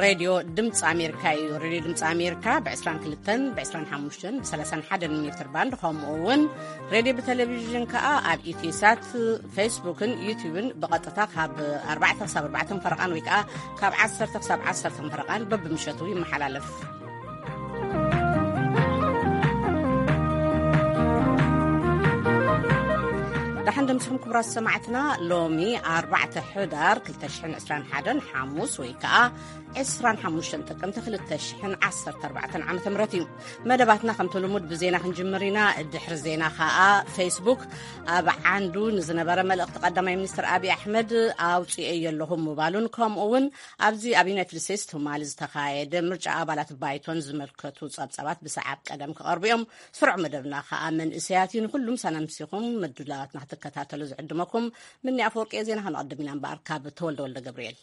ሬድዮ ድምፂ ኣሜሪካ እዩ። ሬድዮ ድምፂ ኣሜሪካ ብ22፣ ብ25፣ ብ31 ሜትር ባንድ፣ ከምኡ እውን ሬድዮ ብቴሌቪዥን ከዓ ኣብ ኢትዮሳት፣ ፌስቡክን ዩቲዩብን ብቐጥታ ካብ ኣርባዕተ ክሳብ ኣርባዕተ ፈረቓን ወይ ከዓ ካብ ዓሰርተ ክሳብ ዓሰርተ ፈረቓን በብምሸቱ ይመሓላለፍ። ደሓን ደምስኹም ክቡራት ሰማዕትና። ሎሚ ኣርባዕተ ሕዳር ክልተ ሽሕን ዕስራን ሓደን ሓሙስ ወይ ከዓ ዕስራን ሓሙሽተን ጥቅምቲ ክልተ ሽሕን ዓሰርተ ኣርባዕተን ዓመተ ምህረት እዩ። መደባትና ከምቲ ልሙድ ብዜና ክንጅምር ኢና። ድሕሪ ዜና ከዓ ፌስቡክ ኣብ ዓንዱ ንዝነበረ መልእኽቲ ቀዳማይ ሚኒስትር ኣብይ ኣሕመድ ኣውፅኤዮ ኣለኹ ምባሉን፣ ከምኡ እውን ኣብዚ ኣብ ዩናይትድ ስቴትስ ትማሊ ዝተኻየደ ምርጫ ኣባላት ባይቶን ዝመልከቱ ጸብጻባት ብሰዓብ ቀደም ክቐርቡ እዮም። ስሩዕ መደብና ከዓ መንእሰያት እዩ። ንኩሉም ሳናምሲኹም ምድላዋትና ክትከታተሉ ዝዕድመኩም ምኒ ኣፈወርቂ። ዜና ከነቐድም ኢና እምበኣር ካብ ተወልደ ወልደ ገብርኤል።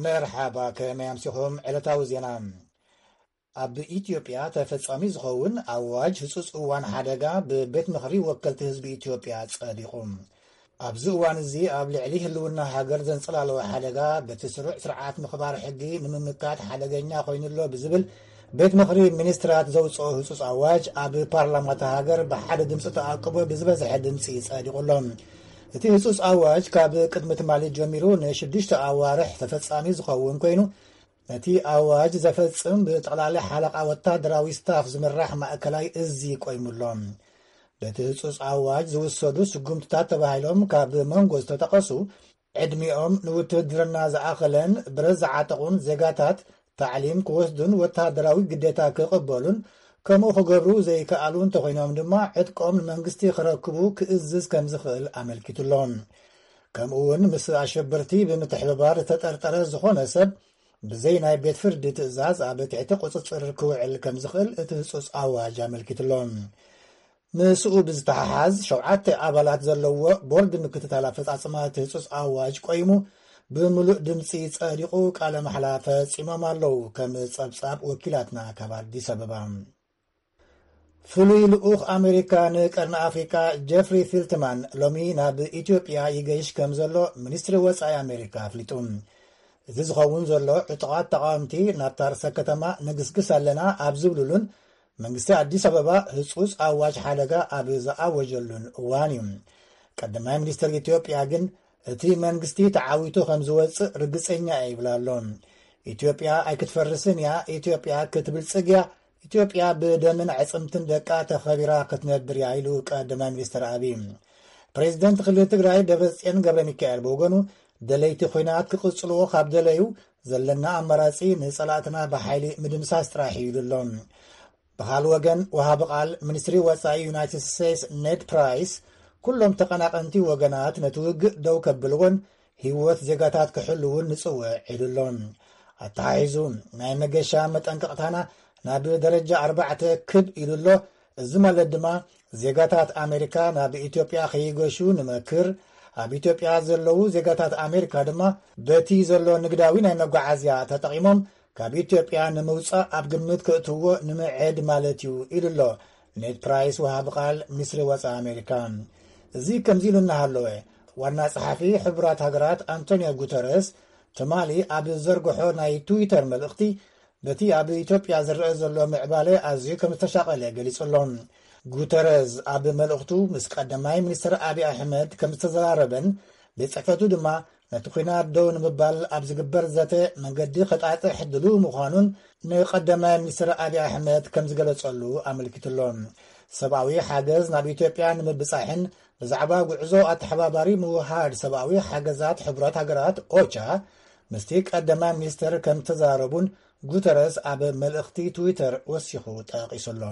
መርሓባ፣ ከመይ ኣምሲኹም? ዕለታዊ ዜና። ኣብ ኢትዮጵያ ተፈጻሚ ዝኸውን ኣዋጅ ህጹጽ እዋን ሓደጋ ብቤት ምኽሪ ወከልቲ ህዝቢ ኢትዮጵያ ጸዲቑ። ኣብዚ እዋን እዚ ኣብ ልዕሊ ህልውና ሃገር ዘንጸላለወ ሓደጋ በቲ ስሩዕ ስርዓት ምኽባር ሕጊ ንምምካት ሓደገኛ ኮይኑሎ ብዝብል ቤት ምኽሪ ሚኒስትራት ዘውጽኦ ህጹጽ ኣዋጅ ኣብ ፓርላማ እታ ሃገር ብሓደ ድምፂ ተኣቅቦ ብዝበዝሐ ድምፂ ጸዲቑ ኣሎ። እቲ ህጹጽ ኣዋጅ ካብ ቅድሚ ትማሊ ጀሚሩ ንሽዱሽተ ኣዋርሕ ተፈጻሚ ዝኸውን ኮይኑ፣ ነቲ ኣዋጅ ዘፈጽም ብጠቕላሊ ሓለቓ ወታደራዊ ስታፍ ዝምራሕ ማእከላይ እዚ ቆይሙ ኣሎ። በቲ ህጹጽ ኣዋጅ ዝውሰዱ ስጉምትታት ተባሂሎም ካብ መንጎ ዝተጠቐሱ፣ ዕድሚኦም ንውትህድርና ዝኣኸለን ብረት ዝዓጠቑን ዜጋታት ታዕሊም ክወስዱን ወታደራዊ ግዴታ ክቕበሉን ከምኡ ክገብሩ ዘይከኣሉ እንተኾይኖም ድማ ዕጥቆም ንመንግስቲ ክረክቡ ክእዝዝ ከም ዝኽእል ኣመልኪቱ ኣሎ። ከምኡ እውን ምስ ኣሸበርቲ ብምትሕብባር ዝተጠርጠረ ዝኾነ ሰብ ብዘይ ናይ ቤት ፍርዲ ትእዛዝ ኣብ ትሕቲ ቁጽጽር ክውዕል ከም ዝኽእል እቲ ህጹጽ ኣዋጅ ኣመልኪቱ ኣሎ። ምስኡ ብዝተሓሓዝ ሸውዓተ ኣባላት ዘለዎ ቦርድ ምክትታል ኣፈጻጽማ እቲ ህጹጽ ኣዋጅ ቆይሙ ብምሉእ ድምፂ ጸዲቑ ቃለ ማሕላ ፈጺሞም ኣለዉ። ከም ጸብጻብ ወኪላትና ካብ ኣዲስ ኣበባ። ፍሉይ ልኡኽ ኣሜሪካ ንቀርኒ ኣፍሪካ ጀፍሪ ፊልትማን ሎሚ ናብ ኢትዮጵያ ይገይሽ ከም ዘሎ ሚኒስትሪ ወጻኢ ኣሜሪካ ኣፍሊጡ። እዚ ዝኸውን ዘሎ ዕጡቓት ተቓወምቲ ናብታ ርእሰ ከተማ ንግስግስ ኣለና ኣብ ዝብሉሉን መንግስቲ ኣዲስ ኣበባ ህጹጽ ኣዋጅ ሓደጋ ኣብ ዝኣወጀሉን እዋን እዩ። ቀዳማይ ሚኒስትር ኢትዮጵያ ግን እቲ መንግስቲ ተዓዊቱ ከም ዝወጽእ ርግጸኛ እየ ይብል ኣሎ። ኢትዮጵያ ኣይክትፈርስን እያ፣ ኢትዮጵያ ክትብልጽግ እያ፣ ኢትዮጵያ ብደምን ዕጽምትን ደቃ ተኸቢራ ክትነብር እያ ኢሉ ቀዳማይ ሚኒስትር ኣብይ። ፕሬዚደንት ክልል ትግራይ ደብረጽዮን ገብረ ሚካኤል ብወገኑ ደለይቲ ኹናት ክቕጽልዎ ካብ ደለዩ ዘለና ኣማራጺ ንጸላእትና ብሓይሊ ምድምሳስ ጥራሕ እዩ ኢሉ ኣሎ። ብኻል ወገን ወሃቢ ቃል ሚኒስትሪ ወጻኢ ዩናይትድ ስቴትስ ኔድ ፕራይስ ኩሎም ተቐናቐንቲ ወገናት ነቲ ውግእ ደው ከብልዎን ህይወት ዜጋታት ክሕልውን ንጽውዕ ኢሉ ኣሎ። ኣተሓሒዙ ናይ መገሻ መጠንቀቕታና ናብ ደረጃ ኣርባዕተ ክብ ኢሉ ኣሎ። እዚ ማለት ድማ ዜጋታት ኣሜሪካ ናብ ኢትዮጵያ ከይገሹ ንመክር። ኣብ ኢትዮጵያ ዘለዉ ዜጋታት ኣሜሪካ ድማ በቲ ዘሎ ንግዳዊ ናይ መጓዓዝያ ተጠቒሞም ካብ ኢትዮጵያ ንምውጻእ ኣብ ግምት ከእትዎ ንምዕድ ማለት እዩ ኢሉ ኣሎ ኔድ ፕራይስ ወሃቢ ቃል ሚኒስትሪ ወጻኢ ኣሜሪካ። እዚ ከምዚ ኢሉ እናሃለወ ዋና ጸሓፊ ሕቡራት ሃገራት ኣንቶኒዮ ጉተረስ ትማሊ ኣብ ዘርግሖ ናይ ትዊተር መልእኽቲ በቲ ኣብ ኢትዮጵያ ዝረአ ዘሎ ምዕባለ ኣዝዩ ከም ዝተሻቐለ ገሊጹ ኣሎ። ጉተረዝ ኣብ መልእኽቱ ምስ ቀዳማይ ሚኒስትር ኣብይ ኣሕመድ ከም ዝተዘራረበን ቤት ጽሕፈቱ ድማ ነቲ ኲናት ደው ንምባል ኣብ ዝግበር ዘተ መንገዲ ከጣጥሕ ድሉው ምዃኑን ንቀዳማይ ሚኒስትር ኣብይ ኣሕመድ ከም ዝገለጸሉ ኣመልኪቱ ኣሎ። ሰብኣዊ ሓገዝ ናብ ኢትዮጵያ ንምብጻሕን ብዛዕባ ጉዕዞ ኣተሓባባሪ ምውሃድ ሰብኣዊ ሓገዛት ሕቡራት ሃገራት ኦቻ ምስቲ ቀዳማይ ሚኒስትር ከም ዝተዘራረቡን ጉተረስ ኣብ መልእኽቲ ትዊተር ወሲኹ ጠቒሱ ኣሎ።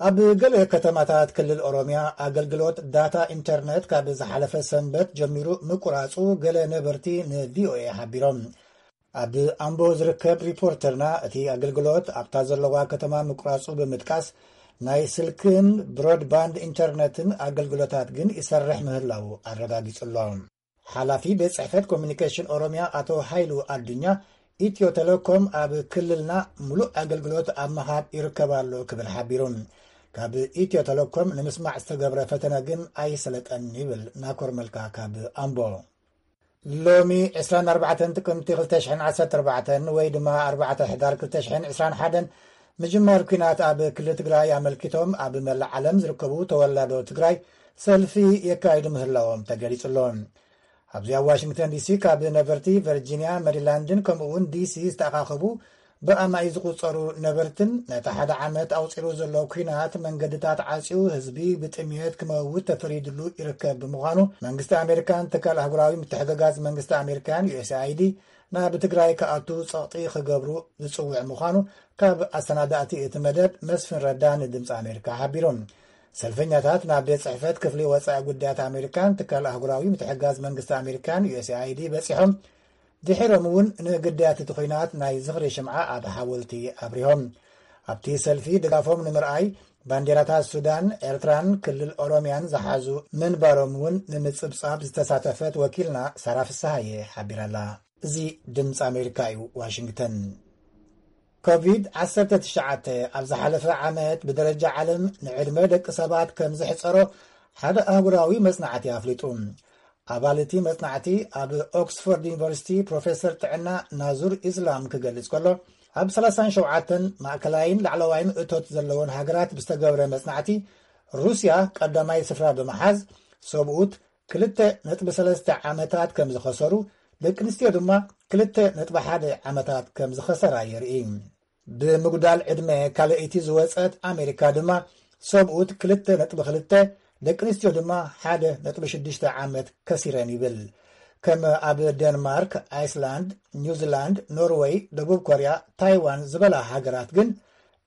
ኣብ ገለ ከተማታት ክልል ኦሮሚያ ኣገልግሎት ዳታ ኢንተርነት ካብ ዝሓለፈ ሰንበት ጀሚሩ ምቁራጹ ገለ ነበርቲ ንቪኦኤ ሓቢሮም። ኣብ ኣምቦ ዝርከብ ሪፖርተርና እቲ ኣገልግሎት ኣብታ ዘለዋ ከተማ ምቁራጹ ብምጥቃስ ናይ ስልክን ብሮድባንድ ኢንተርነትን ኣገልግሎታት ግን ይሰርሕ ምህላዉ ኣረጋጊጹ ኣሎ። ሓላፊ ቤት ጽሕፈት ኮሚኒኬሽን ኦሮሚያ ኣቶ ሃይሉ ኣዱኛ፣ ኢትዮ ቴሌኮም ኣብ ክልልና ምሉእ ኣገልግሎት ኣብ ምሃብ ይርከብ ኣሎ ክብል ሓቢሩ። ካብ ኢትዮ ቴሌኮም ንምስማዕ ዝተገብረ ፈተነ ግን ኣይሰለጠን ይብል ናኮር መልካ ካብ ኣምቦ። ሎሚ ዕስራን ኣርባዕተን ጥቅምቲ ክልተ ሽሕን ዓሰርተ ኣርባዕተን ወይ ድማ ኣርባዕተ ሕዳር ክልተ ሽሕን ዕስራን ሓደን ምጅማር ኲናት ኣብ ክልል ትግራይ ኣመልኪቶም ኣብ መላእ ዓለም ዝርከቡ ተወላዶ ትግራይ ሰልፊ የካይዱ ምህላዎም ተገሊጹ ኣሎ። ኣብዚ ኣብ ዋሽንግተን ዲሲ ካብ ነበርቲ ቨርጂንያ፣ መሪላንድን ከምኡ እውን ዲሲ ዝተኣኻኸቡ ብኣማኢ ዝቑጸሩ ነበርትን ነቲ ሓደ ዓመት ኣውጺሩ ዘሎ ኲናት መንገድታት ዓጽዩ ህዝቢ ብጥምየት ክመውት ተፈሪድሉ ይርከብ ብምዃኑ መንግስቲ ኣሜሪካን ትካል ኣህጉራዊ ምትሕግጋዝ መንግስቲ ኣሜሪካን ዩ ኤስ ኣይ ዲ ናብ ትግራይ ክኣቱ ጸቕጢ ክገብሩ ዝጽውዕ ምዃኑ ካብ ኣሰናዳእቲ እቲ መደብ መስፍን ረዳ ንድምፂ ኣሜሪካ ሓቢሩ። ሰልፈኛታት ናብ ቤት ጽሕፈት ክፍሊ ወጻኢ ጉዳያት ኣሜሪካን ትካል ኣህጉራዊ ምትሕጋዝ መንግስቲ ኣሜሪካን ዩ ኤስ ኣይ ዲ በጺሖም ድሒሮም እውን ንግዳያት እቲ ኲናት ናይ ዝኽሪ ሽምዓ ኣብ ሓወልቲ ኣብሪሆም። ኣብቲ ሰልፊ ድጋፎም ንምርኣይ ባንዴራታት ሱዳን፣ ኤርትራን ክልል ኦሮሚያን ዝሓዙ ምንባሮም እውን ንምጽብጻብ ዝተሳተፈት ወኪልና ሳራ ፍስሃየ ሓቢራላ። እዚ ድምፂ ኣሜሪካ እዩ፣ ዋሽንግተን። ኮቪድ ዓሰርተ ትሽዓተ ኣብ ዝሓለፈ ዓመት ብደረጃ ዓለም ንዕድመ ደቂ ሰባት ከም ዝሕፀሮ ሓደ ኣህጉራዊ መጽናዕቲ ኣፍሊጡ። ኣባል እቲ መጽናዕቲ ኣብ ኦክስፎርድ ዩኒቨርሲቲ ፕሮፌሰር ጥዕና ናዙር ኢስላም ክገልጽ ከሎ፣ ኣብ ሰላሳን ሸውዓተን ማእከላይን ላዕለዋይን እቶት ዘለዎን ሃገራት ብዝተገብረ መጽናዕቲ፣ ሩስያ ቀዳማይ ስፍራ ብምሓዝ፣ ሰብኡት ክልተ ነጥቢ ሰለስተ ዓመታት ከም ዝኸሰሩ፣ ደቂ ኣንስትዮ ድማ ክልተ ነጥቢ ሓደ ዓመታት ከም ዝኸሰራ የርኢ። ብምጉዳል ዕድመ ካልኣይቲ ዝወጸት ኣሜሪካ ድማ ሰብኡት ክልተ ነጥቢ ክልተ፣ ደቂ ኣንስትዮ ድማ ሓደ ነጥቢ ሽዱሽተ ዓመት ከሲረን ይብል። ከም ኣብ ደንማርክ፣ ኣይስላንድ፣ ኒውዚላንድ፣ ኖርወይ፣ ደቡብ ኮርያ፣ ታይዋን ዝበላ ሃገራት ግን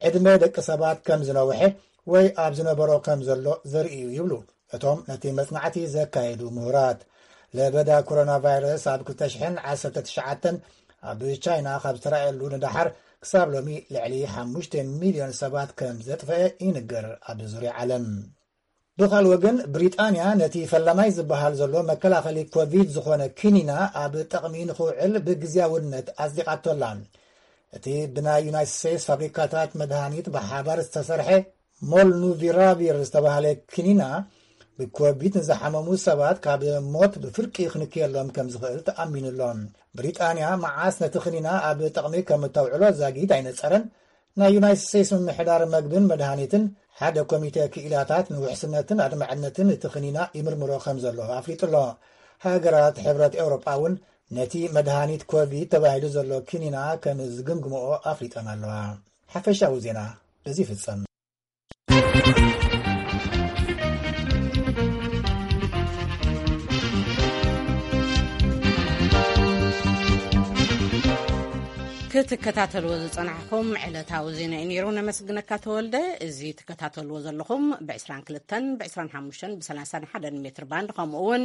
ዕድመ ደቂ ሰባት ከም ዝነውሐ ወይ ኣብ ዝነበሮ ከም ዘሎ ዘርኢ እዩ ይብሉ እቶም ነቲ መጽናዕቲ ዘካየዱ ምሁራት። ለበዳ ኮሮና ቫይረስ ኣብ ክልተ ሽሕን ዓሰርተ ትሽዓተን ኣብ ቻይና ካብ ዝተራእየሉ ንደሓር ክሳብ ሎሚ ልዕሊ ሓሙሽተ ሚልዮን ሰባት ከም ዘጥፈአ ይንገር። ኣብ ዙርያ ዓለም ብኻል ወገን ብሪጣንያ ነቲ ፈላማይ ዝበሃል ዘሎ መከላኸሊ ኮቪድ ዝኾነ ኪኒና ኣብ ጥቕሚ ንኽውዕል ብግዝያውነት ኣጽዲቓቶላ። እቲ ብናይ ዩናይትድ ስቴትስ ፋብሪካታት መድሃኒት ብሓባር ዝተሰርሐ ሞልኑቪራቪር ዝተባህለ ክኒና ብኮቪድ ንዝሓመሙ ሰባት ካብ ሞት ብፍርቂ ክንክየሎም ከም ዝኽእል ተኣሚኑሎ። ብሪጣንያ መዓስ ነቲ ክኒና ኣብ ጥቕሚ ከም እተውዕሎ ዛጊት ኣይነጸረን። ናይ ዩናይትድ ስቴትስ ምምሕዳር መግብን መድሃኒትን ሓደ ኮሚተ ክኢላታት ንውሕስነትን ኣድማዕነትን እቲ ክኒና ይምርምሮ ከም ዘሎ ኣፍሊጡ ኣሎ። ሃገራት ሕብረት ኤውሮጳ እውን ነቲ መድሃኒት ኮቪድ ተባሂሉ ዘሎ ክኒና ከም ዝግምግምኦ ኣፍሊጠን ኣለዋ። ሓፈሻዊ ዜና በዚ ይፍጸም። ክትከታተልዎ ዝጸናሕኩም ዕለታዊ ዜና እዩ ነይሩ። ነመስግነካ ተወልደ። እዚ ትከታተልዎ ዘለኹም ብ22፣ ብ25፣ ብ31 ሜትር ባንድ፣ ከምኡ እውን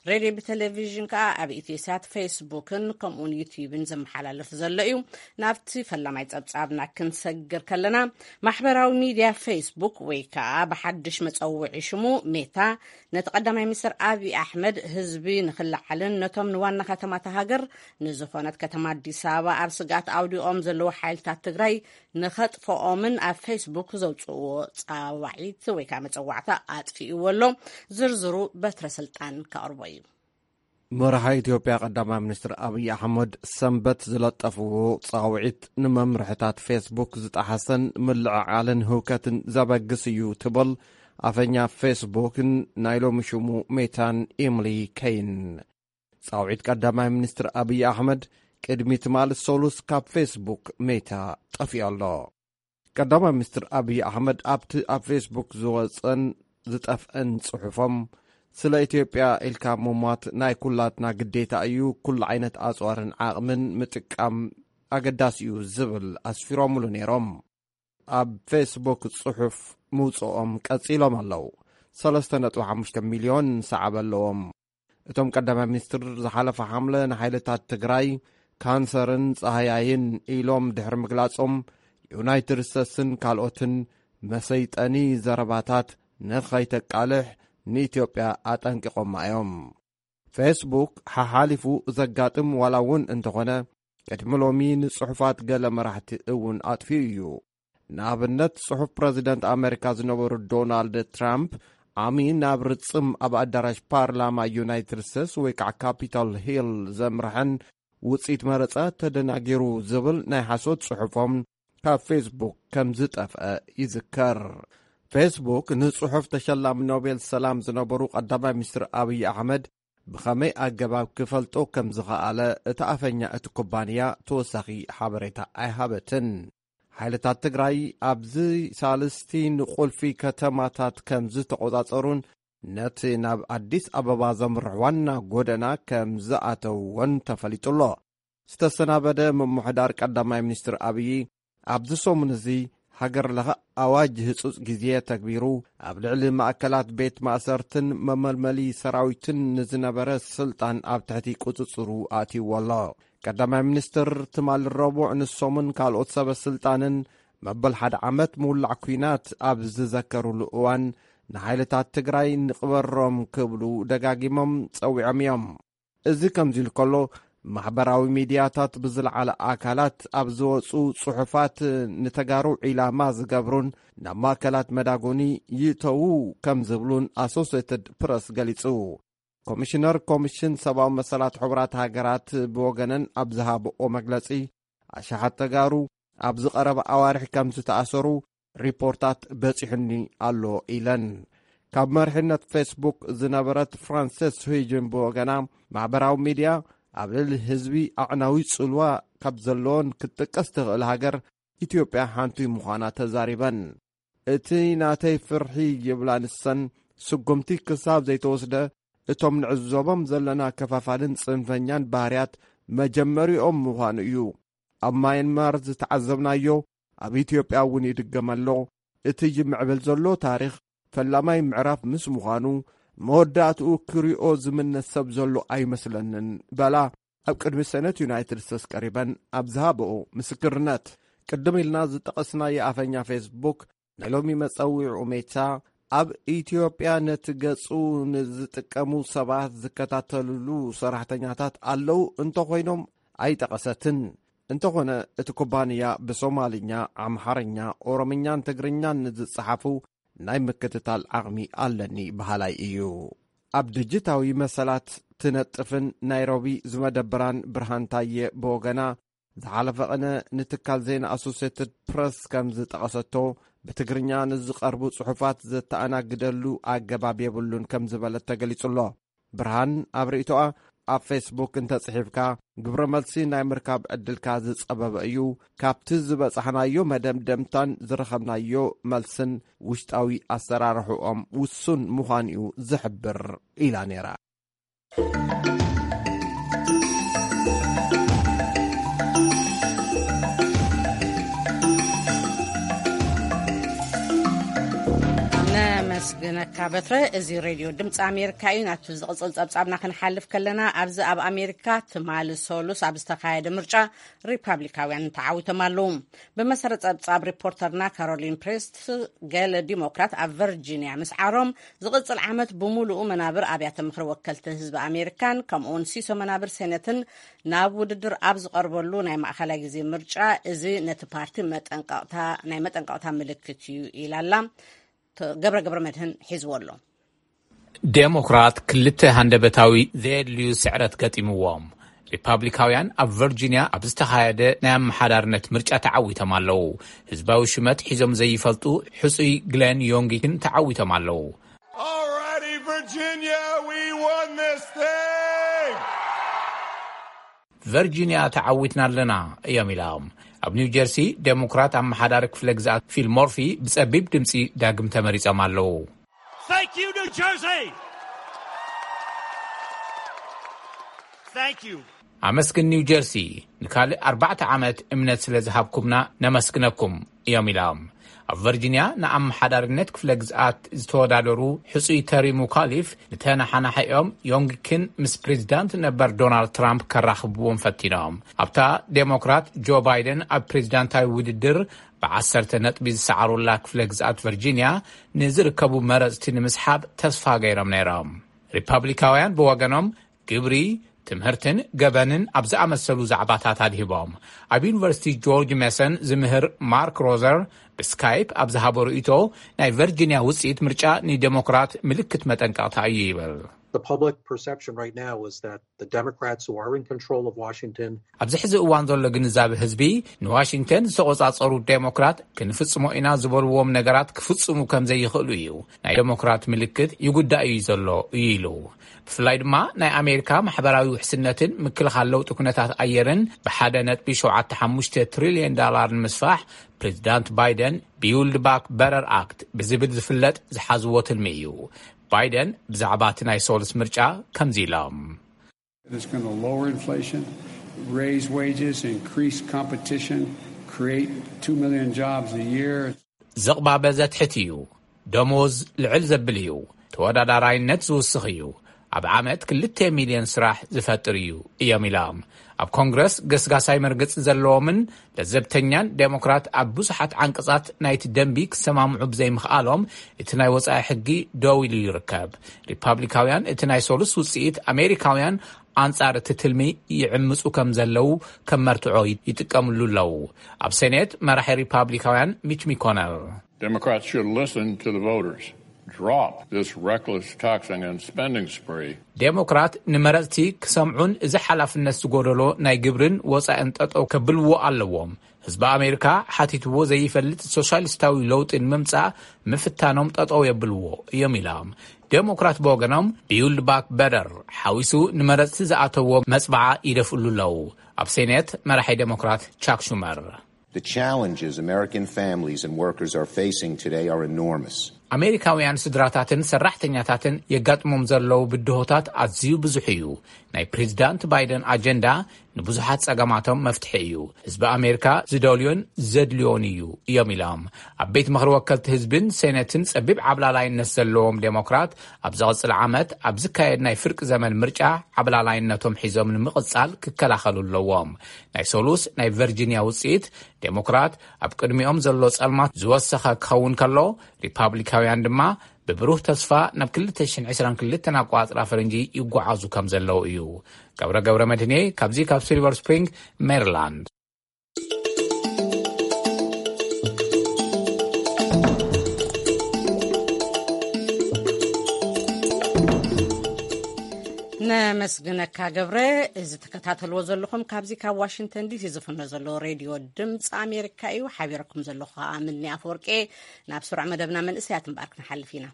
ሬድዮ ብቴሌቪዥን ከኣ ኣብ ኢትዮሳት፣ ፌስቡክን ከምኡውን ዩትዩብን ዝመሓላለፍ ዘሎ እዩ። ናብቲ ፈላማይ ጸብጻብና ክንሰግር ከለና፣ ማሕበራዊ ሚድያ ፌስቡክ ወይ ከኣ ብሓድሽ መጸውዒ ሽሙ ሜታ ነቲ ቀዳማይ ሚኒስትር ኣብይ ኣሕመድ ህዝቢ ንኽለዓልን ነቶም ንዋና ከተማታ ሃገር ንዝኾነት ከተማ ኣዲስ ኣበባ ኣብ ስግኣት ኣውዲቖም ዘለዉ ሓይልታት ትግራይ ንኸጥፍኦምን ኣብ ፌስቡክ ዘውፅእዎ ፃዋዒት ወይ ከዓ መፀዋዕታ ኣጥፊእዎ ኣሎ። ዝርዝሩ በትረ ስልጣን ከቕርቦ እዩ። መራሒ ኢትዮጵያ ቀዳማይ ሚኒስትር ኣብይ ኣሕመድ ሰንበት ዝለጠፍዎ ፃውዒት ንመምርሕታት ፌስቡክ ዝጠሓሰን ምልዕዓልን ህውከትን ዘበግስ እዩ ትብል ኣፈኛ ፌስቡክን ናይ ሎሚ ሽሙ ሜታን ኢምሊ ከይን። ጻውዒት ቀዳማይ ሚኒስትር ኣብይ ኣሕመድ ቅድሚ ትማሊ ሰሉስ ካብ ፌስቡክ ሜታ ጠፊኡ ኣሎ። ቀዳማይ ሚኒስትር ኣብይ ኣሕመድ ኣብቲ ኣብ ፌስቡክ ዝወጸን ዝጠፍአን ጽሑፎም፣ ስለ ኢትዮጵያ ኢልካ ምሟት ናይ ኩላትና ግዴታ እዩ፣ ኩሉ ዓይነት ኣጽዋርን ዓቕምን ምጥቃም ኣገዳሲ እዩ ዝብል ኣስፊሮምሉ ነይሮም። ኣብ ፌስቡክ ጽሑፍ ምውጽኦም ቀጺሎም ኣለዉ። ሰለስተ ነጥቢ ሓሙሽተ ሚልዮን ሰዓብ ኣለዎም። እቶም ቀዳማይ ሚኒስትር ዝሓለፈ ሓምለ ንሓይልታት ትግራይ ካንሰርን ጻህያይን ኢሎም ድሕሪ ምግላጾም፣ ዩናይትድ ስቴትስን ካልኦትን መሰይጠኒ ዘረባታት ንኸይተቃልሕ ንኢትዮጵያ ኣጠንቂቖማ እዮም። ፌስቡክ ሓሓሊፉ ዘጋጥም ዋላ እውን እንተኾነ፣ ቅድሚ ሎሚ ንጽሑፋት ገለ መራሕቲ እውን ኣጥፊኡ እዩ። ንኣብነት፣ ጽሑፍ ፕረዚደንት ኣመሪካ ዝነበሩ ዶናልድ ትራምፕ፣ ዓሚ ናብ ርጽም ኣብ ኣዳራሽ ፓርላማ ዩናይትድ ስቴትስ ወይ ከዓ ካፒቶል ሂል ዘምርሐን ውጽኢት መረጻ ተደናጊሩ ዝብል ናይ ሓሶት ጽሑፎም ካብ ፌስቡክ ከም ዝጠፍአ ይዝከር። ፌስቡክ ንጽሑፍ ተሸላሚ ኖቤል ሰላም ዝነበሩ ቀዳማይ ሚኒስትር ኣብይ ኣሕመድ ብኸመይ ኣገባብ ክፈልጦ ከም ዝኸኣለ እታ ኣፈኛ እቲ ኩባንያ ተወሳኺ ሓበሬታ ኣይሃበትን። ሓይልታት ትግራይ ኣብዚ ሳልስቲ ንቁልፊ ከተማታት ከም ዝተቖጻጸሩን ነቲ ናብ ኣዲስ ኣበባ ዘምርሕ ዋና ጎደና ከም ዝኣተውዎን ተፈሊጡ ኣሎ። ዝተሰናበደ ምምሕዳር ቀዳማይ ሚኒስትር ኣብዪ ኣብዚ ሰሙን እዚ ሃገር ለኸ ኣዋጅ ህጹጽ ግዜ ተግቢሩ ኣብ ልዕሊ ማእከላት ቤት ማእሰርትን መመልመሊ ሰራዊትን ንዝነበረ ስልጣን ኣብ ትሕቲ ቁጽጽሩ ኣእትይዎ ኣሎ። ቀዳማይ ሚኒስትር ትማሊ ረቡዕ ንሶምን ካልኦት ሰበ ስልጣንን መበል ሓደ ዓመት ምውላዕ ኲናት ኣብ ዝዘከሩሉ እዋን ንሓይልታት ትግራይ ንቕበሮም ክብሉ ደጋጊሞም ጸዊዖም እዮም። እዚ ከምዚ ኢሉ ከሎ፣ ማሕበራዊ ሚድያታት ብዝለዓለ ኣካላት ኣብ ዝወፁ ጽሑፋት ንተጋሩ ዒላማ ዝገብሩን ናብ ማእከላት መዳጎኒ ይእተዉ ከም ዝብሉን ኣሶሴትድ ፕረስ ገሊጹ። ኮሚሽነር ኮሚሽን ሰብኣዊ መሰላት ሕቡራት ሃገራት ብወገነን ኣብ ዝሃብኦ መግለጺ፣ ኣሽሓት ተጋሩ ኣብዚ ቀረባ ኣዋርሕ ከም ዝተኣሰሩ ሪፖርታት በጺሑኒ ኣሎ ኢለን። ካብ መሪሕነት ፌስቡክ ዝነበረት ፍራንሰስ ሁይጅን ብወገና፣ ማሕበራዊ ሚድያ ኣብ ልዕሊ ህዝቢ ኣዕናዊ ጽልዋ ካብ ዘለዎን ክትጥቀስ ትኽእል ሃገር ኢትዮጵያ ሓንቲ ምዃና ተዛሪበን። እቲ ናተይ ፍርሒ ይብላ ንሰን፣ ስጉምቲ ክሳብ ዘይተወስደ እቶም ንዕዘቦም ዘለና ከፋፋልን ጽንፈኛን ባህርያት መጀመሪኦም ምዃኑ እዩ። ኣብ ማየንማር ዝተዓዘብናዮ ኣብ ኢትዮጵያ እውን ይድገም ኣሎ። እቲ ይምዕብል ዘሎ ታሪኽ ፈላማይ ምዕራፍ ምስ ምዃኑ፣ መወዳእትኡ ክሪኦ ዝምነ ሰብ ዘሎ ኣይመስለንን በላ ኣብ ቅድሚ ሰነት ዩናይትድ ስቴትስ ቀሪበን ኣብ ዝሃብኦ ምስክርነት። ቅድም ኢልና ዝጠቐስናዮ ኣፈኛ ፌስቡክ ናይ ሎሚ መጸዊዕኡ ሜታ፣ ኣብ ኢትዮጵያ ነቲ ገጹ ንዝጥቀሙ ሰባት ዝከታተልሉ ሰራሕተኛታት ኣለዉ እንተኾይኖም ኣይጠቐሰትን። እንተኾነ እቲ ኩባንያ ብሶማልኛ፣ ኣምሓርኛ፣ ኦሮምኛን ትግርኛን ንዝጸሓፉ ናይ ምክትታል ዓቕሚ ኣለኒ በሃላይ እዩ። ኣብ ድጅታዊ መሰላት ትነጥፍን ናይሮቢ ዝመደብራን ብርሃን ታየ ብወገና፣ ዝሓለፈ ቅነ ንትካል ዜና ኣሶሴትድ ፕረስ ከም ዝጠቐሰቶ፣ ብትግርኛ ንዝቐርቡ ጽሑፋት ዘተኣናግደሉ ኣገባብ የብሉን ከም ዝበለት ተገሊጹ ኣሎ። ብርሃን ኣብ ርእይቶኣ፣ ኣብ ፌስቡክ እንተጽሒፍካ ግብረ መልሲ ናይ ምርካብ ዕድልካ ዝጸበበ እዩ። ካብቲ ዝበጻሕናዮ መደምደምታን ዝረኸብናዮ መልስን ውሽጣዊ ኣሰራርሕኦም ውሱን ምዃኑ እዩ ዝሕብር ኢላ ነይራ። ነመስግነካ በትረ። እዚ ሬድዮ ድምፂ ኣሜሪካ እዩ። ናቱ ዝቕፅል ፀብፃብና ክንሓልፍ ከለና፣ ኣብዚ ኣብ ኣሜሪካ ትማሊ ሰሉስ ኣብ ዝተኻየደ ምርጫ ሪፓብሊካውያን ተዓዊቶም ኣለዉ። ብመሰረት ፀብፃብ ሪፖርተርና ካሮሊን ፕሬስት፣ ገለ ዲሞክራት ኣብ ቨርጂኒያ ምስዓሮም፣ ዝቕፅል ዓመት ብሙሉኡ መናብር ኣብያተ ምኽሪ ወከልቲ ህዝቢ ኣሜሪካን ከምኡውን ሲሶ መናብር ሴነትን ናብ ውድድር ኣብ ዝቐርበሉ ናይ ማእኸላይ ግዜ ምርጫ፣ እዚ ነቲ ፓርቲ መጠንቀቕታ፣ ናይ መጠንቀቕታ ምልክት እዩ ኢላ ኣላ። ተ-፣ ገብረ ገብረ መድህን ሒዝዎ ኣሎ። ዴሞክራት ክልተ ሃንደበታዊ ዘየድልዩ ስዕረት ገጢምዎም። ሪፓብሊካውያን ኣብ ቨርጂኒያ ኣብ ዝተኻየደ ናይ ኣመሓዳርነት ምርጫ ተዓዊቶም ኣለዉ። ህዝባዊ ሽመት ሒዞም ዘይፈልጡ ሕጹይ ግሌን ዮንጊክን ተዓዊቶም ኣለዉ። Alrighty, Virginia, we won this thing! ቨርጂኒያ ተዓዊትና ኣለና እዮም ኢሎም። ኣብ ኒው ጀርሲ ዴሞክራት ኣመሓዳሪ ክፍለ ግዝኣት ፊል ሞርፊ ብጸቢብ ድምጺ ዳግም ተመሪጾም ኣለዉ። Thank you, New Jersey! Thank you. ኣመስግን ኒው ጀርሲ፣ ንካልእ ኣርባዕተ ዓመት እምነት ስለ ዝሃብኩምና ነመስግነኩም እዮም ኢሎም። ኣብ ቨርጂኒያ ንኣመሓዳሪነት ክፍለ ግዝኣት ዝተወዳደሩ ሕጹይ ተሪ ሙካሊፍ ንተነሓናሒኦም ዮንግኪን ምስ ፕሬዚዳንት ነበር ዶናልድ ትራምፕ ከራኽብዎም ፈቲኖም። ኣብታ ዴሞክራት ጆ ባይደን ኣብ ፕሬዚዳንታዊ ውድድር ብዓሰርተ ነጥቢ ዝሰዓሩላ ክፍለ ግዝኣት ቨርጂኒያ ንዝርከቡ መረጽቲ ንምስሓብ ተስፋ ገይሮም ነይሮም። ሪፓብሊካውያን ብወገኖም ግብሪ፣ ትምህርትን ገበንን ኣብ ዝኣመሰሉ ዛዕባታት ኣድሂቦም። ኣብ ዩኒቨርሲቲ ጆርጅ ሜሰን ዝምህር ማርክ ሮዘር ብስካይፕ ኣብ ዝሃቦ ርእይቶ፣ ናይ ቨርጂኒያ ውፅኢት ምርጫ ንዴሞክራት ምልክት መጠንቀቕታ እዩ ይብል። The public perception right now is that the Democrats who are in control of Washington ኣብዚ ሕዚ እዋን ዘሎ ግንዛቤ ህዝቢ፣ ንዋሽንግተን ዝተቆጻጸሩ ዴሞክራት ክንፍጽሞ ኢና ዝበልዎም ነገራት ክፍጽሙ ከም ዘይኽእሉ እዩ። ናይ ዴሞክራት ምልክት ይጉዳእ እዩ ዘሎ እዩ ኢሉ። ብፍላይ ድማ ናይ ኣሜሪካ ማሕበራዊ ውሕስነትን ምክልኻል ለውጢ ኩነታት ኣየርን ብ ሓደ ነጥቢ ሸውዓተ ሓሙሽተ ትሪልዮን ዳላር ንምስፋሕ ፕሬዚዳንት ባይደን ቢውልድ ባክ በረር ኣክት ብዝብል ዝፍለጥ ዝሓዝዎ ትልሚ እዩ። ባይደን ብዛዕባ እቲ ናይ ሶልስ ምርጫ ከምዚ ኢሎም። It's going to lower inflation, raise wages, increase competition, create two million jobs a year. ዝቕባበ ዘትሕት እዩ። ደሞዝ ልዕል ዘብል እዩ። ተወዳዳራይነት ዝውስኽ እዩ። ኣብ ዓመት ክልተ ሚልዮን ስራሕ ዝፈጥር እዩ እዮም ኢሎም። ኣብ ኮንግረስ ገስጋሳይ መርገጺ ዘለዎምን ለዘብተኛን ዴሞክራት ኣብ ብዙሓት ዓንቀጻት ናይቲ ደንቢ ክሰማምዑ ብዘይምኽኣሎም እቲ ናይ ወጻኢ ሕጊ ደው ኢሉ ይርከብ። ሪፓብሊካውያን እቲ ናይ ሶሉስ ውጽኢት ኣሜሪካውያን ኣንጻር እቲ ትልሚ ይዕምጹ ከም ዘለዉ ከም መርትዖ ይጥቀምሉ ኣለዉ። ኣብ ሴኔት መራሒ ሪፓብሊካውያን ሚች ሚኮነል Democrats should listen to the voters. Drop this reckless taxing and spending spree. ዴሞክራት ንመረጽቲ ክሰምዑን እዚ ሓላፍነት ዝጎደሎ ናይ ግብርን ወጻእን ጠጠው ከብልዎ ኣለዎም። ህዝቢ ኣሜሪካ ሓቲትዎ ዘይፈልጥ ሶሻሊስታዊ ለውጢ ንምምጻእ ምፍታኖም ጠጠው የብልዎ እዮም ኢሎም። ዴሞክራት ብወገኖም ቢውልድ ባክ በደር ሓዊሱ ንመረጽቲ ዝኣተዎ መጽባዓ ይደፍእሉ ኣለዉ። ኣብ ሴኔት መራሒ ዴሞክራት ቻክ ሹመር The challenges American families and workers are facing today are enormous. ኣሜሪካውያን ስድራታትን ሰራሕተኛታትን የጋጥሞም ዘለዉ ብድሆታት ኣዝዩ ብዙሕ እዩ። ናይ ፕሬዚዳንት ባይደን ኣጀንዳ ንብዙሓት ጸገማቶም መፍትሒ እዩ። ህዝቢ ኣሜሪካ ዝደልዮን ዘድልዮን እዩ እዮም ኢሎም። ኣብ ቤት ምኽሪ ወከልቲ ህዝብን ሴነትን ጸቢብ ዓብላላይነት ዘለዎም ዴሞክራት ኣብ ዝቕጽል ዓመት ኣብ ዝካየድ ናይ ፍርቂ ዘመን ምርጫ ዓብላላይነቶም ሒዞም ንምቕጻል ክከላኸሉ ኣለዎም። ናይ ሶሉስ ናይ ቨርጂኒያ ውጽኢት ዴሞክራት ኣብ ቅድሚኦም ዘሎ ጸልማት ዝወሰኸ ክኸውን ከሎ፣ ሪፓብሊካውያን ድማ ብብሩህ ተስፋ ናብ ክልተ ሽሕን ዕስራን ክልተን ኣቋጽራ ፈረንጂ ይጓዓዙ ከም ዘለዉ እዩ። ገብረ ገብረ መድህኔ ካብዚ ካብ ሲልቨር ስፕሪንግ ሜሪላንድ። ነመስግነካ ገብረ። እዚ ትከታተልዎ ዘለኹም ካብዚ ካብ ዋሽንግተን ዲሲ ዝፍኖ ዘሎ ሬድዮ ድምፂ ኣሜሪካ እዩ። ሓቢረኩም ዘለኹ ከዓ ምኒ ኣፈወርቄ። ናብ ስሩዕ መደብና መንእሰያት እምበኣር ክንሓልፍ ኢና።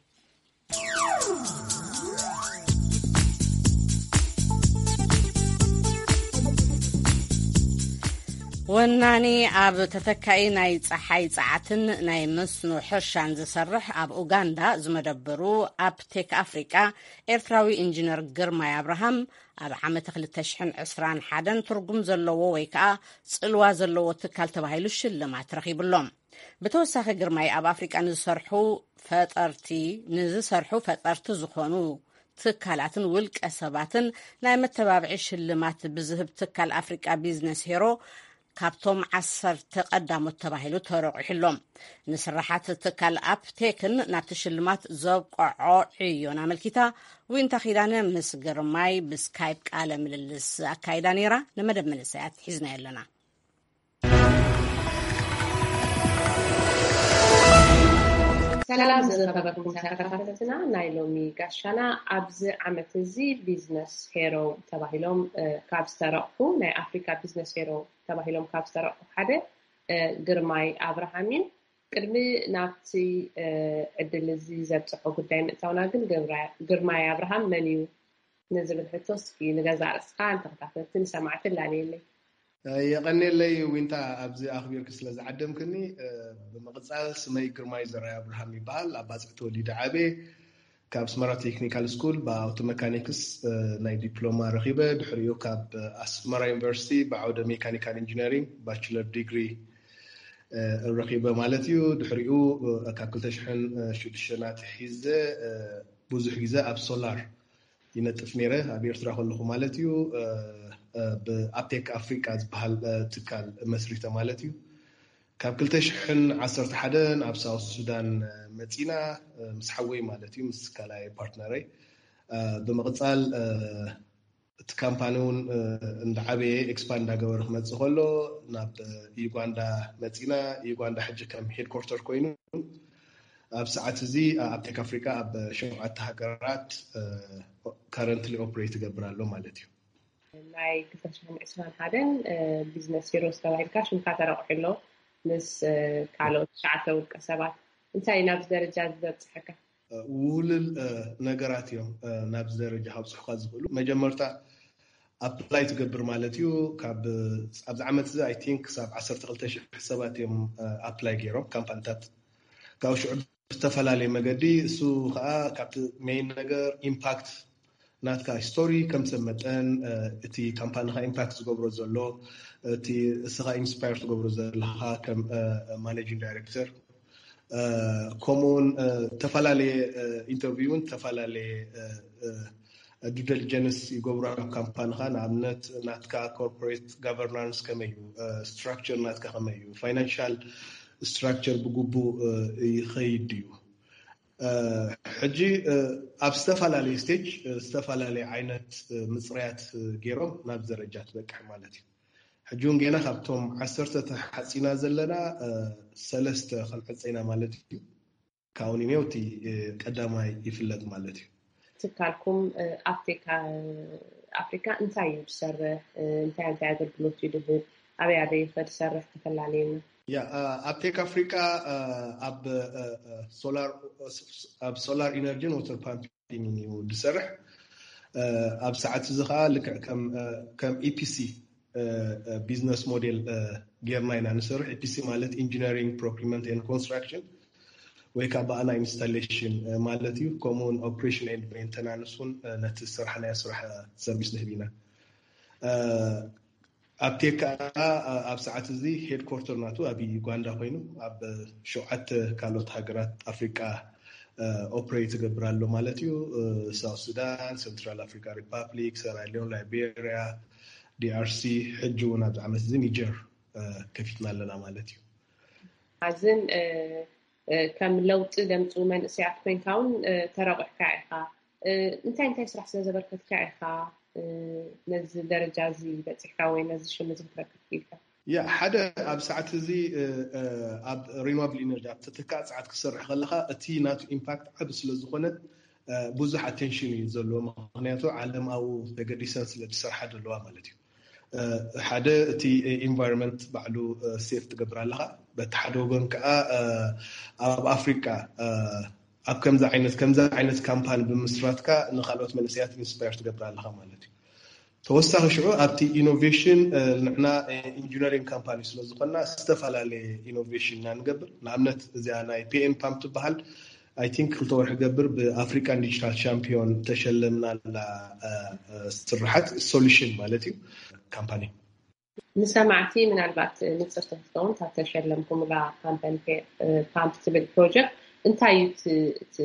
ወናኒ ኣብ ተተካኢ ናይ ፀሓይ ፀዓትን ናይ መስኖ ሕርሻን ዝሰርሕ ኣብ ኡጋንዳ ዝመደበሩ ኣፕቴክ ኣፍሪቃ ኤርትራዊ ኢንጂነር ግርማይ ኣብርሃም ኣብ ዓመተ ክልተ ሽሕን ዕስራን ሓደን ትርጉም ዘለዎ ወይ ከዓ ፅልዋ ዘለዎ ትካል ተባሂሉ ሽልማት ረኺቡሎም። ብተወሳኺ ግርማይ ኣብ ኣፍሪቃ ንዝሰርሑ ፈጠርቲ ንዝሰርሑ ፈጠርቲ ዝኾኑ ትካላትን ውልቀ ሰባትን ናይ መተባብዒ ሽልማት ብዝህብ ትካል ኣፍሪቃ ቢዝነስ ሄሮ ካብቶም ዓሰርተ ቀዳሞት ተባሂሉ ተረቑሕሎም። ንስራሓት ትካል ኣፕቴክን ናብቲ ሽልማት ዘብቀዖ ዕዮን ኣመልኪታ ዊንታ ኪዳነ ምስ ግርማይ ብስካይፕ ቃለ ምልልስ ኣካይዳ ነይራ። ንመደብ መንእሰያት ሒዝናዮ ኣለና። ሰላም ዝኸበርኩም ተኸታተልትና ናይ ሎሚ ጋሻና። ኣብዚ ዓመት እዚ ቢዝነስ ሄሮ ተባሂሎም ካብ ዝተረቑሑ፣ ናይ ኣፍሪካ ቢዝነስ ሄሮ ተባሂሎም ካብ ዝተረቑሑ ሓደ ግርማይ ኣብርሃም እዩ። ቅድሚ ናብቲ ዕድል እዚ ዘብፅሖ ጉዳይ ምእታውና ግን ግርማይ ኣብርሃም መን እዩ ንዝብል ሕቶ እስኪ ንገዛእ ርእስኻ ንተኸታተልቲ ንሰማዕቲ ላለየለይ። የቐኔለይ ዊንታ፣ ኣብዚ ኣኽቢርኪ ስለ ዝዓደምክኒ። ብምቕጻል ስመይ ግርማይ ዘርኣይ ኣብርሃም ይበሃል። ኣብ ባጽዕ ተወሊደ ዓብየ። ካብ ኣስመራ ቴክኒካል ስኩል ብኣውቶ መካኒክስ ናይ ዲፕሎማ ረኺበ። ድሕሪኡ ካብ ኣስመራ ዩኒቨርሲቲ ብዓውደ ሜካኒካል ኢንጂነሪንግ ባችለር ዲግሪ ረኺበ ማለት እዩ። ድሕሪኡ ካብ ክልተ ሽሕን ሽዱሽተን ኣትሒዘ ብዙሕ ግዜ ኣብ ሶላር ይነጥፍ ነይረ፣ ኣብ ኤርትራ ከለኹ ማለት እዩ። ብኣፕቴክ ኣፍሪቃ ዝበሃል ትካል መስሪተ ማለት እዩ። ካብ ክልተ ሽሕን ዓሰርተ ሓደን ኣብ ሳውት ሱዳን መፂና፣ ምስ ሓወይ ማለት እዩ፣ ምስ ካልኣይ ፓርትነረይ። ብምቕፃል እቲ ካምፓኒ እውን እንዳዓበየ ኤክስፓንድ እንዳገበረ ክመፅእ ከሎ ናብ ዩጋንዳ መፂና። ዩጋንዳ ሕጂ ከም ሄድኮርተር ኮይኑ ኣብ ሰዓት እዚ ኣብ ቴክ ኣፍሪካ ኣብ ሸውዓተ ሃገራት ካረንትሊ ኦፕሬት ይገብር ኣሎ ማለት እዩ። ናይ ክልተ ሽሕን ዕስራን ሓደን ቢዝነስ ሂሮስ ተባሂልካ ሽምካ ተረቑሑ ኣሎ ምስ ካልኦት ትሽዓተ ውልቀ ሰባት። እንታይ እዩ ናብዚ ደረጃ ዝበፅሐካ? ውልል ነገራት እዮም ናብዚ ደረጃ ካብፅሑካ ዝኽእሉ። መጀመርታ ኣፕላይ ትገብር ማለት እዩ። ኣብዚ ዓመት እዚ ኣይ ቲንክ ክሳብ ዓሰርተ ክልተ ሽሕ ሰባት እዮም ኣፕላይ ገይሮም ካምፓኒታት። ካብ ሽዑ ብዝተፈላለየ መገዲ እሱ ከዓ ካብቲ ሜይን ነገር ኢምፓክት ናትካ ስቶሪ ከም ሰብ መጠን እቲ ካምፓኒካ ኢምፓክት ዝገብሮ ዘሎ እቲ እስኻ ኢንስፓየር ትገብሮ ዘለካ ከም ማኔጂንግ ዳይሬክተር ከምኡውን ዝተፈላለየ ኢንተርቪውን ዝተፈላለየ ዱ ዲሊጀንስ ይገብሩ ኣብ ካምፓኒካ። ንኣብነት ናትካ ኮርፖሬት ጋቨርናንስ ከመይ እዩ፣ ስትራክቸር ናትካ ከመይ እዩ፣ ፋይናንሻል ስትራክቸር ብግቡእ ይኸይድ ድዩ? ሕጂ ኣብ ዝተፈላለየ ስቴጅ ዝተፈላለየ ዓይነት ምፅርያት ገይሮም ናብ ደረጃ ትበቅሕ ማለት እዩ። ሕጂ እውን ገና ካብቶም ዓሰርተ ተሓፂና ዘለና ሰለስተ ክንዕፀ ኢና ማለት እዩ። ካውኒኔው እቲ ቀዳማይ ይፍለጥ ማለት እዩ። ትካልኩም ኣብ ቴክ ኣፍሪካ እንታይ እዩ ዝሰርሕ? እንታይ እንታይ ኣገልግሎት እዩ ዝህብ? ኣበይ ኣበይ ከ ዝሰርሕ? ተፈላለየና። ያ ኣብ ቴክ ኣፍሪካ ኣብ ሶላር ኢነርጂን ወተር ፓምፒንግ እዩ ዝሰርሕ። ኣብ ሰዓት እዚ ከዓ ልክዕ ከም ኢፒሲ ቢዝነስ ሞዴል ጌርና ኢና ንሰርሕ። ኢፒሲ ማለት ኢንጂነሪንግ ፕሮክሪመንት ኤንድ ኮንስትራክሽን ወይ ከዓ ብኣና ኢንስታሌሽን ማለት እዩ። ከምኡውን ኦፕሬሽን ኤንድ ሜንተናንስ እውን ነቲ ዝሰራሕናዮ ስራሕ ሰርቪስ ንህብ ኢና። ኣብ ቴክ ከዓ ኣብ ሰዓት እዚ ሄድኮርተር ናቱ ኣብ ዩጋንዳ ኮይኑ ኣብ ሸውዓተ ካልኦት ሃገራት ኣፍሪቃ ኦፕሬት ይገብር ኣሎ ማለት እዩ። ሳውት ሱዳን፣ ሰንትራል ኣፍሪካ ሪፓብሊክ፣ ሰራሊዮን፣ ላይቤሪያ፣ ዲኣርሲ፣ ሕጂ እውን ኣብዚ ዓመት እዚ ኒጀር ከፊትና ኣለና ማለት እዩ። ኣዝን ከም ለውጢ ዘምፅኡ መንእሰያት ኮይንካ እውን ተረቑሕካ ኢኻ። እንታይ እንታይ ስራሕ ስለ ዘበርከትካ ኢኻ ነዚ ደረጃ እዚ በፂሕካ ወይ ነዚ ሽም እዚ ክትረክብ ክኢልካ? ያ ሓደ ኣብ ሰዓት እዚ ኣብ ሪኒዋብል ኢነርጂ ኣብ ተተካእ ሰዓት ክሰርሕ ከለካ እቲ ናቱ ኢምፓክት ዓብ ስለዝኮነ ብዙሕ ኣቴንሽን እዩ ዘለዎ። ምክንያቱ ዓለም ኣብኡ ተገዲሰን ስለ ዝሰርሓ ዘለዋ ማለት እዩ። ሓደ እቲ ኢንቫይሮንመንት ባዕሉ ሴፍ ትገብር ኣለካ። በቲ ሓደ ወገን ከዓ ኣብ ኣፍሪቃ ኣብ ከምዚ ዓይነት ከምዚ ዓይነት ካምፓኒ ብምስራትካ ንካልኦት መንእሰያት ኢንስፓየር ትገብር ኣለካ ማለት እዩ። ተወሳኺ ሽዑ ኣብቲ ኢኖቬሽን ንሕና ኢንጂነሪንግ ካምፓኒ ስለዝኮና ዝተፈላለየ ኢኖቬሽን ኢና ንገብር። ንኣብነት እዚኣ ናይ ፒኤን ፓምፕ ትበሃል ኣይ ቲንክ ክልተ ወርሒ ገብር ብኣፍሪካን ዲጂታል ቻምፒዮን ተሸለምናላ ስርሓት ሶሉሽን ማለት እዩ ካምፓኒ። ንሰማዕቲ ምናልባት ንፅርቲ ክትከውን ካብ ተሸለምኩምላ ፓምፕ ትብል ፕሮጀክት እንታይ እዩ እቲ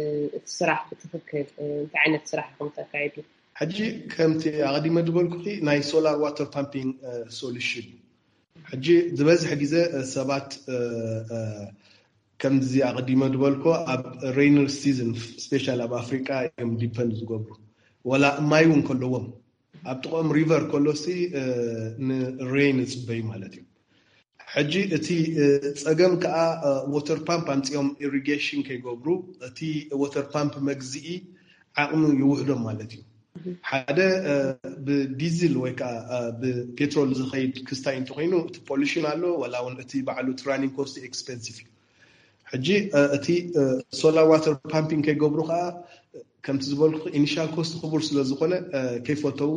ስራሕ ብትክክል እንታይ ዓይነት ስራሕ ኢኹም ተካይዱ? ሕጂ ከምቲ ኣቐዲመ ዝበልኩ ናይ ሶላር ዋተር ፓምፒንግ ሶሉሽን እዩ። ሕጂ ዝበዝሐ ግዜ ሰባት ከምዚ ኣቐዲመ ዝበልኮ ኣብ ሬይነር ሲዝን ስፔሻል ኣብ ኣፍሪቃ እዮም ዲፐንድ ዝገብሩ። ወላ ማይ እውን ከለዎም ኣብ ጥቕኦም ሪቨር ከሎሲ ንሬይን ይፅበዩ ማለት እዩ። ሕጂ እቲ ፀገም ከዓ ወተር ፓምፕ ኣምፂኦም ኢሪጌሽን ከይገብሩ እቲ ወተር ፓምፕ መግዚኢ ዓቕሚ ይውሕዶም ማለት እዩ። ሓደ ብዲዝል ወይ ከዓ ብፔትሮል ዝኸይድ ክስታይ እንተኮይኑ እቲ ፖሉሽን ኣሎ፣ ዋላ እውን እቲ ባዕሉ እቲ ራኒንግ ኮስት ኤክስፐንሲቭ እዩ። ሕጂ እቲ ሶላር ዋተር ፓምፒንግ ከይገብሩ ከዓ ከምቲ ዝበልኩ ኢኒሻል ኮስት ክቡር ስለዝኮነ ከይፈተው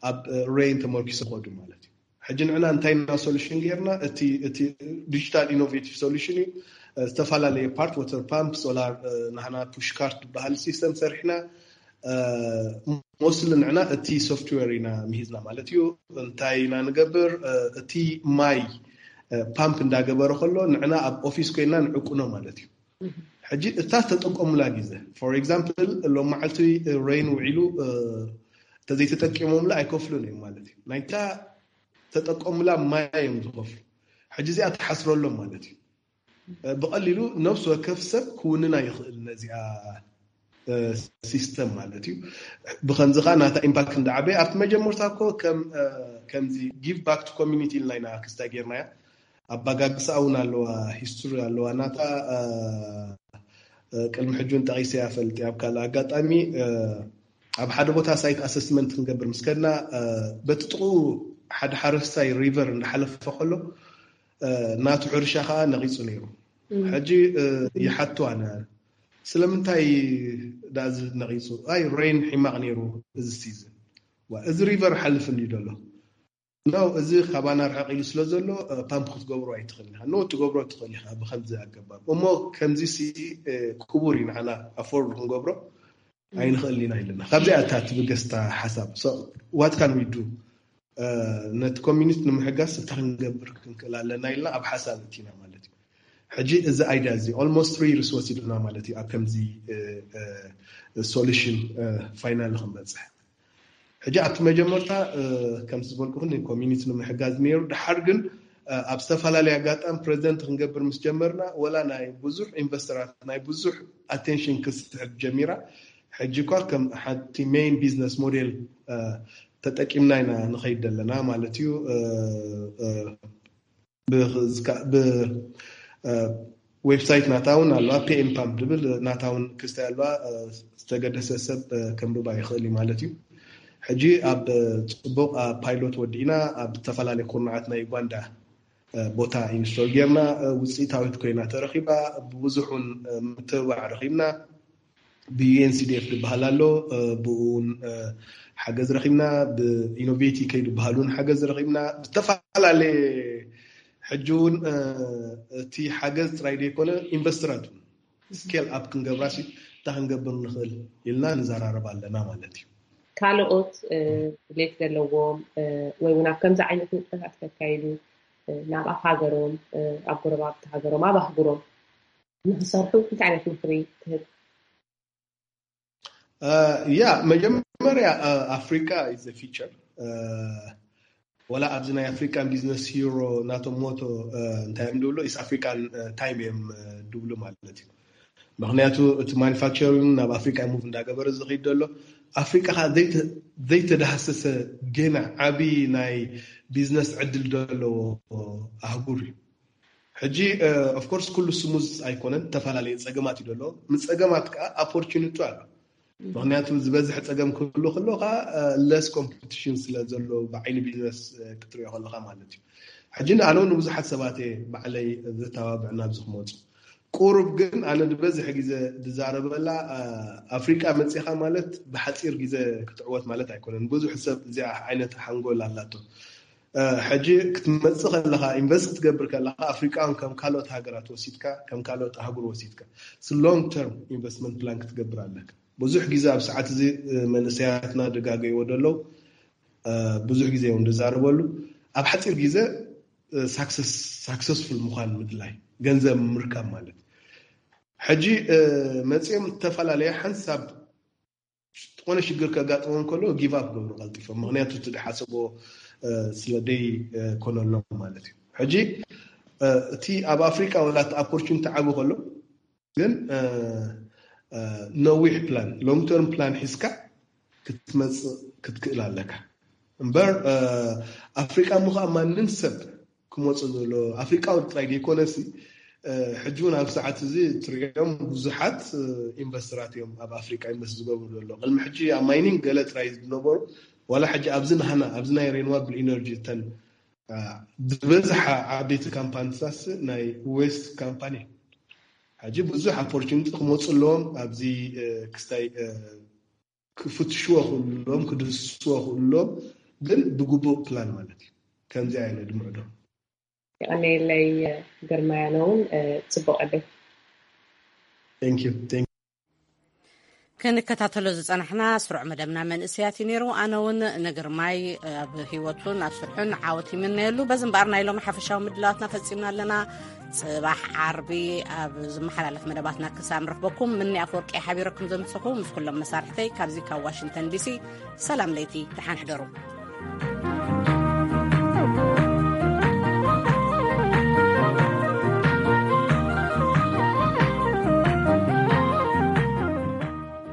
ኣብ ሬይን ተመርኪሶ ከዱ ማለት እዩ። ሕጂ ንዕና እንታይ ኢና ሶሉሽን ጌርና? እቲ ዲጂታል ኢኖቬቲቭ ሶሉሽን እዩ። ዝተፈላለየ ፓርት ወተር ፓምፕ፣ ሶላር ናህና ፑሽ ካርት ዝበሃል ሲስተም ሰሪሕና። ሞስሊ ንዕና እቲ ሶፍትዌር ኢና ምሂዝና ማለት እዩ። እንታይ ኢና ንገብር? እቲ ማይ ፓምፕ እንዳገበረ ከሎ ንዕና ኣብ ኦፊስ ኮይና ንዕቁኖ ማለት እዩ። ሕጂ እታ ተጠቀሙላ ግዜ ፎር ኤግዛምፕል ሎም መዓልቲ ሬይን ውዒሉ ተዘይተጠቂሞምላ ኣይከፍሉን እዮም ማለት እዩ። ናይታ ተጠቀሙላ ማይ እዮም ዝኸፍሉ። ሕጂ እዚኣ ትሓስረሎም ማለት እዩ። ብቐሊሉ ነፍሲ ወከፍ ሰብ ክውንና ይኽእል ነዚኣ ሲስተም ማለት እዩ። ብከምዚ ከዓ ናታ ኢምፓክት እንዳዓበየ ኣብቲ መጀመርታ እኮ ከም ከምዚ give back to community ኢልና ኢና ክስታይ ጌርናያ። ኣባጋግሳ እውን ኣለዋ፣ ሂስቶሪ ኣለዋ ናታ። ቅድሚ ሕጂ እውን ጠቂሰ ያፈልጥ ኣብ ካልእ ኣጋጣሚ ኣብ ሓደ ቦታ ሳይት ኣሰስመንት ክንገብር ምስ ከድና በቲ ጥቕኡ ሓደ ሓረስታይ ሪቨር እንዳሓለፈ ከሎ ናቱ ሕርሻ ከዓ ነቂፁ ነይሩ። ሕጂ ይሓትዋ ነ ስለምንታይ ዳዚ ነቂፁ? ኣይ ሬን ሒማቕ ነይሩ እዚ ሲዝን። እዚ ሪቨር ሓልፍ እንዲ ደሎ ነው። እዚ ካባና ርሕቕ ኢሉ ስለ ዘሎ ፓምፕ ክትገብሮ ኣይትኽእል ኢኻ። ኖ ትገብሮ ትኽእል ኢኻ ብከምዚ ኣገባብ እሞ ከምዚ ሲ ክቡር እዩ ንዓና ኣፎርድ ክንገብሮ ኣይንኽእል ኢና ኢለና። ካብዚኣ እታ ትብገስታ ሓሳብ what can we do ነቲ ኮሚኒቲ ንምሕጋዝ እንታይ ክንገብር ክንክእል ኣለና ኢልና ኣብ ሓሳብ እቲና ማለት እዩ። ሕጂ እዚ ኣይድያ እዚ almost three years ወሲዱና ማለት እዩ ኣብ ከምዚ ሶሉሽን ፋይናል ክንበፅሕ። ሕጂ ኣብቲ መጀመርታ ከምዚ ዝበልኩ ኮሚኒቲ ንምሕጋዝ ነይሩ። ድሓር ግን ኣብ ዝተፈላለየ ኣጋጣሚ ፕሬዚደንት ክንገብር ምስ ጀመርና ወላ ናይ ብዙሕ ኢንቨስተራት ናይ ብዙሕ ኣቴንሽን ክስሕብ ጀሚራ። ሕጂ እኳ ከም ሓንቲ ሜይን ቢዝነስ ሞዴል ተጠቂምና ኢና ንኸይድ ዘለና ማለት እዩ። ብዌብሳይት ናታ እውን ኣለዋ፣ ፒኤም ፓምፕ ዝብል ናታ እውን ክስታይ ኣለዋ። ዝተገደሰ ሰብ ከንብባ ይኽእል እዩ ማለት እዩ። ሕጂ ኣብ ፅቡቕ ፓይሎት ወዲእና ኣብ ዝተፈላለዩ ኩርናዓት ናይ ዩጋንዳ ቦታ ኢንስቶል ጌርና ውፅኢታዊት ኮይና ተረኪባ። ብብዙሕ እውን ምትብባዕ ረኪብና። ብዩኤንሲዲኤፍ ዝበሃል ኣሎ፣ ብኡ እውን ሓገዝ ረኪብና። ብኢኖቬቲ ከይዱ ዝበሃል እውን ሓገዝ ረኪብና። ዝተፈላለየ ሕጂ እውን እቲ ሓገዝ ጥራይ ዘይኮነ ኢንቨስተራት እውን ስኬል ኣፕ ክንገብራ ሲ እንታይ ክንገብር ንኽእል ኢልና ንዘራረብ ኣለና ማለት እዩ። ካልኦት ድሌት ዘለዎም ወይ እውን ኣብ ከምዚ ዓይነት ንጥፈታት ከካይዱ ናብ ኣፍ ሃገሮም ኣብ ጎረባብቲ ሃገሮም ኣብ ኣህጉሮም ንክሰርሑ እንታይ ዓይነት ምክሪ ትህብ? ያ መጀመርያ ኣፍሪካ is the future። ወላ ኣብዚ ናይ ኣፍሪካን ቢዝነስ ሂሮ ናቶም ሞቶ እንታይ እዮም ድብሉ ኢስት ኣፍሪካን ታይም እዮም ድብሉ ማለት እዩ። ምክንያቱ እቲ ማኒፋክቸሪንግ ናብ ኣፍሪካ ሙቭ እንዳገበረ ዝኸይድ ዘሎ ኣፍሪካ ከዓ ዘይተዳህሰሰ ገና ዓብዪ ናይ ቢዝነስ ዕድል ዘለዎ ኣህጉር እዩ። ሕጂ ኦፍኮርስ ኩሉ ስሙዝ ኣይኮነን፣ ዝተፈላለዩ ፀገማት እዩ ዘሎ። ምስ ፀገማት ከዓ ኣፖርቹኒቲ ኣሎ። ምክንያቱ ዝበዝሕ ፀገም ክህሉ ከሎ ከዓ ለስ ኮምፒቲሽን ስለ ዘሎ ብዓይኒ ቢዝነስ ክትሪኦ ከለካ ማለት እዩ። ሕጂ ኣነ እውን ንብዙሓት ሰባት እየ ባዕለይ ዘተባብዕ ናብዚ ክመፁ። ቁሩብ ግን ኣነ ዝበዝሕ ግዜ ዝዛረበላ ኣፍሪቃ መፂኻ ማለት ብሓፂር ግዜ ክትዕወት ማለት ኣይኮነን። ብዙሕ ሰብ እዚኣ ዓይነት ሓንጎል ኣላቶ። ሕጂ ክትመፅእ ከለካ ኢንቨስት ክትገብር ከለካ ኣፍሪቃን ከም ካልኦት ሃገራት ወሲድካ ከም ካልኦት ኣህጉር ወሲድካ ሎንግ ተርም ኢንቨስትመንት ፕላን ክትገብር ኣለካ። ብዙሕ ግዜ ኣብ ሰዓት እዚ መንእሰያትና ደጋገይዎ ደለው ብዙሕ ግዜ እዮም ዝዛረበሉ። ኣብ ሓፂር ግዜ ሳክሰስፉል ምኳን ምድላይ ገንዘብ ምርካብ ማለት ሕጂ መፅኦም ዝተፈላለየ ሓንሳብ ዝኾነ ሽግር ከጋጥሞም ከሎ ጊቭ ኣፕ ገብሩ ቀልጢፎም ምክንያቱ እቲ ዝሓሰቦ ስለ ደይ ኮነሎም ማለት እዩ። ሕጂ እቲ ኣብ ኣፍሪካ ወላ እቲ ኣፖርቹኒቲ ዓቢ ከሎ ግን ነዊሕ ፕላን ሎንግ ተርም ፕላን ሒዝካ ክትመፅእ ክትክእል ኣለካ እምበር ኣፍሪቃ ምኳ ማንም ሰብ ክመፁ ዘሎ ኣፍሪቃዊ ጥራይ ዘይኮነሲ ሕጂ እውን ኣብ ሰዓት እዚ ትሪኦም ብዙሓት ኢንቨስተራት እዮም ኣብ ኣፍሪቃ ኢንቨስት ዝገብሩ ዘሎ። ቅድሚ ሕጂ ኣብ ማይኒንግ ገለ ጥራይ ዝነበሩ ዋላ ሕጂ ኣብዚ ናህና ኣብዚ ናይ ሬኒዋብል ኢነርጂ እተን ዝበዝሓ ዓበይቲ ካምፓኒታት ናይ ዌስት ካምፓኒ ሕጂ ብዙሕ ኣፖርቹኒቲ ክመፁ ኣለዎም ኣብዚ ክስታይ ክፍትሽዎ ክእሉ ኣለዎም ክድህስስዎ ክእሉ ኣለዎም ግን ብግቡእ ፕላን ማለት እዩ። ከምዚ ኣይነ ድምዕዶ የቀነየለይ ግርማይ ኣነ እውን ፅቡቅ ዕድል። ክንከታተሎ ዝጸናሕና ስሩዕ መደብና መንእሰያት እዩ ነይሩ። ኣነ እውን ንግርማይ ኣብ ህይወቱን ኣብ ስርሑን ዓወት ይምነየሉ። በዚ እምበኣር ናይ ሎሚ ሓፈሻዊ ምድላዋትና ፈጺምና ኣለና። ጽባሕ ዓርቢ ኣብ ዝመሓላለፍ መደባትና ክሳብ ንረኽበኩም ምኒ ኣፈወርቂ ሓቢረኩም ዘምስኹ ምስ ኩሎም መሳርሕተይ ካብዚ ካብ ዋሽንግተን ዲሲ ሰላም ለይቲ ደሓን ሕደሩ።